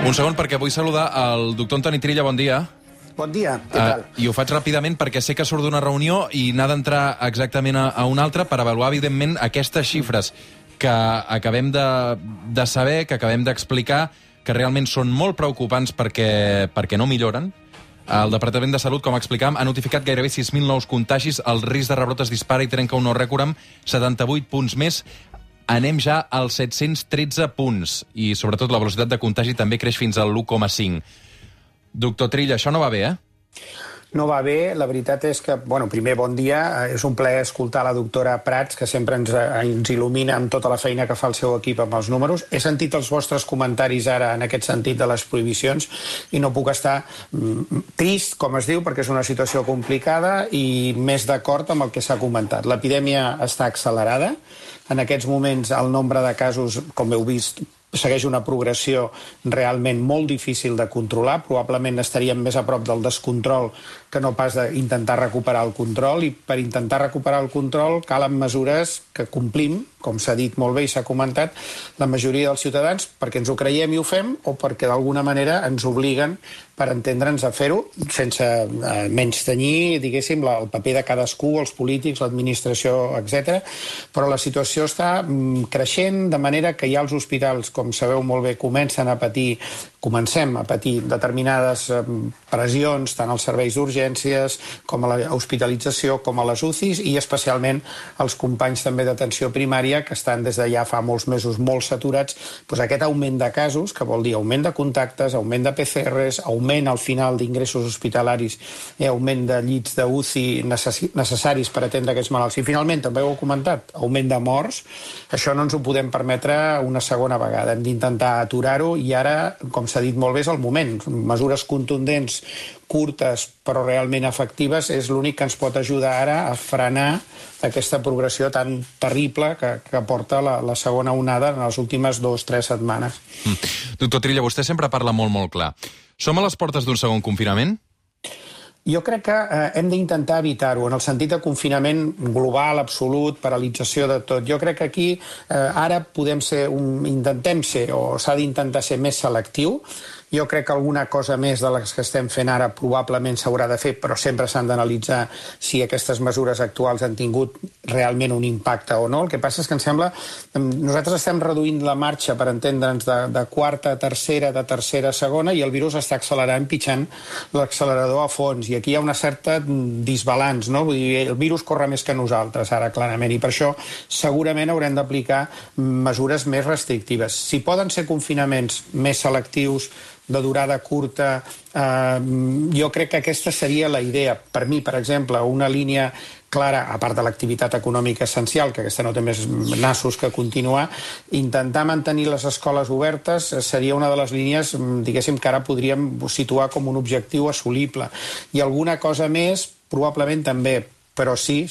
Un segon, perquè vull saludar el doctor Antoni Trilla, bon dia. Bon dia, què tal? I ho faig ràpidament perquè sé que surt d'una reunió i n'ha d'entrar exactament a una altra per avaluar, evidentment, aquestes xifres que acabem de saber, que acabem d'explicar, que realment són molt preocupants perquè no milloren. El Departament de Salut, com explicàvem, ha notificat gairebé 6.000 nous contagis, el risc de rebrot es dispara i trenca un nou rècord amb 78 punts més. Anem ja als 713 punts i, sobretot, la velocitat de contagi també creix fins al 1,5. Doctor Trilla, això no va bé, No va bé, la veritat és que, primer, bon dia, és un plaer escoltar la doctora Prats, que sempre ens il·lumina amb tota la feina que fa el seu equip amb els números. He sentit els vostres comentaris ara en aquest sentit de les prohibicions i no puc estar trist, com es diu, perquè és una situació complicada i més d'acord amb el que s'ha comentat. L'epidèmia està accelerada. En aquests moments el nombre de casos, com heu vist, segueix una progressió realment molt difícil de controlar. Probablement estaríem més a prop del descontrol que no pas d'intentar recuperar el control, i per intentar recuperar el control calen mesures que complim, com s'ha dit molt bé i s'ha comentat, la majoria dels ciutadans, perquè ens ho creiem i ho fem, o perquè d'alguna manera ens obliguen, per entendre'ns, a fer-ho, sense menystenir, diguéssim, el paper de cadascú, els polítics, l'administració, etc. Però la situació està creixent, de manera que ja els hospitals, com sabeu molt bé, comencem a patir determinades pressions, tant als serveis d'urgències, com a l'hospitalització, com a les UCIs, i especialment els companys també d'atenció primària, que estan des de ja fa molts mesos molt saturats. Aquest augment de casos, que vol dir augment de contactes, augment de PCRs, augment al final d'ingressos hospitalaris i augment de llits d'UCI necessaris per atendre aquests malalts. I finalment, també ho heu comentat, augment de morts. Això no ens ho podem permetre una segona vegada. Hem d'intentar aturar-ho i ara, com s'ha dit molt bé, és el moment. Mesures contundents, curtes, però realment efectives, és l'únic que ens pot ajudar ara a frenar aquesta progressió tan terrible que porta la segona onada en les últimes 2 o 3 setmanes. Doctor Trilla, vostè sempre parla molt clar. Som a les portes d'un segon confinament? Jo crec que hem d'intentar evitar-ho, en el sentit de confinament global, absolut, paralització de tot. Jo crec que aquí ara intentem ser, o s'ha d'intentar ser més selectiu. Jo crec que alguna cosa més de les que estem fent ara probablement s'haurà de fer, però sempre s'han d'analitzar si aquestes mesures actuals han tingut realment un impacte o no. El que passa és que em sembla... Nosaltres estem reduint la marxa, per entendre'ns, de quarta a tercera, de tercera a segona, i el virus està accelerant, pitjant l'accelerador a fons. I aquí hi ha una certa disbalanç, no? Vull dir, el virus corre més que nosaltres, ara, clarament, i per això segurament haurem d'aplicar mesures més restrictives. Si poden ser confinaments més selectius, de durada curta, jo crec que aquesta seria la idea. Per mi, per exemple, una línia clara, a part de l'activitat econòmica essencial, que aquesta no té més nassos que continuar, intentar mantenir les escoles obertes seria una de les línies, diguéssim, que ara podríem situar com un objectiu assolible. I alguna cosa més, probablement també. Però sí,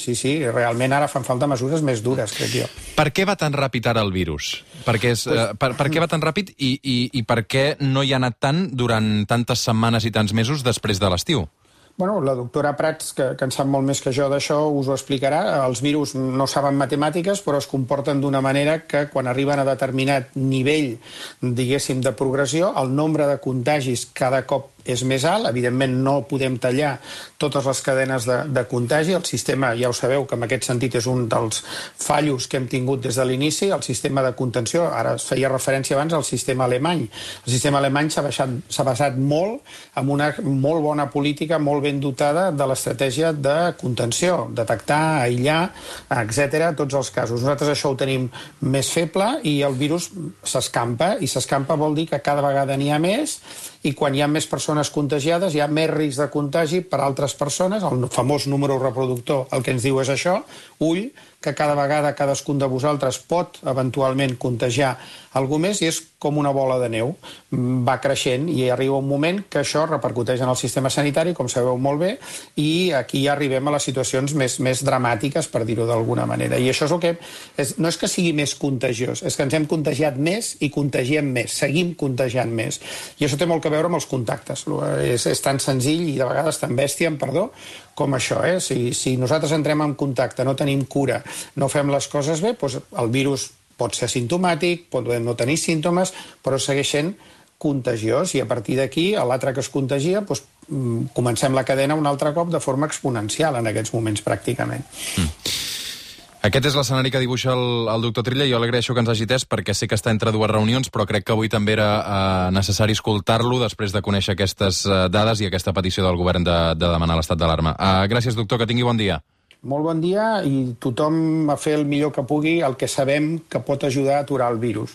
realment ara fan falta mesures més dures, crec jo. Per què va tan ràpid ara el virus? Per què va tan ràpid i per què no hi ha anat tant durant tantes setmanes i tants mesos després de l'estiu? La doctora Prats, que en sap molt més que jo d'això, us ho explicarà. Els virus no saben matemàtiques, però es comporten d'una manera que quan arriben a determinat nivell, diguéssim, de progressió, el nombre de contagis cada cop és més alt. Evidentment no podem tallar totes les cadenes de contagi. El sistema, ja ho sabeu, que en aquest sentit és un dels fallos que hem tingut des de l'inici, el sistema de contenció. Ara es feia referència abans al sistema alemany. El sistema alemany s'ha basat molt en una molt bona política, molt ben dotada de l'estratègia de contenció, detectar, aïllar, etc., tots els casos. Nosaltres això ho tenim més feble i el virus s'escampa, i s'escampa vol dir que cada vegada n'hi ha més, i quan hi ha més persones contagiades hi ha més risc de contagi per altres persones. El famós número reproductor el que ens diu és això, ull, que cada vegada cadascun de vosaltres pot eventualment contagiar algú més, i és com una bola de neu. Va creixent i arriba un moment que això repercuteix en el sistema sanitari, com sabeu molt bé, i aquí ja arribem a les situacions més dramàtiques, per dir-ho d'alguna manera. I això és el que... No és que sigui més contagiós, és que ens hem contagiat més i contagiem més, seguim contagiant més. I això té molt a veure amb els contactes. És tan senzill i de vegades tan bèstia, perdó, com això. Si nosaltres entrem en contacte, no tenim cura, no fem les coses bé, doncs el virus pot ser asimptomàtic, pot no tenir símptomes, però segueix sent contagiós, i a partir d'aquí, l'altre que es contagia, doncs, comencem la cadena un altre cop de forma exponencial en aquests moments, pràcticament. Aquest és l'escenari que dibuixa el doctor Trilla. Jo l'agraeixo que ens hagi atès perquè sé que està entre dues reunions, però crec que avui també era necessari escoltar-lo després de conèixer aquestes dades i aquesta petició del govern de demanar l'estat d'alarma. Gràcies, doctor, que tingui bon dia. Molt bon dia, i tothom a fer el millor que pugui, el que sabem que pot ajudar a aturar el virus.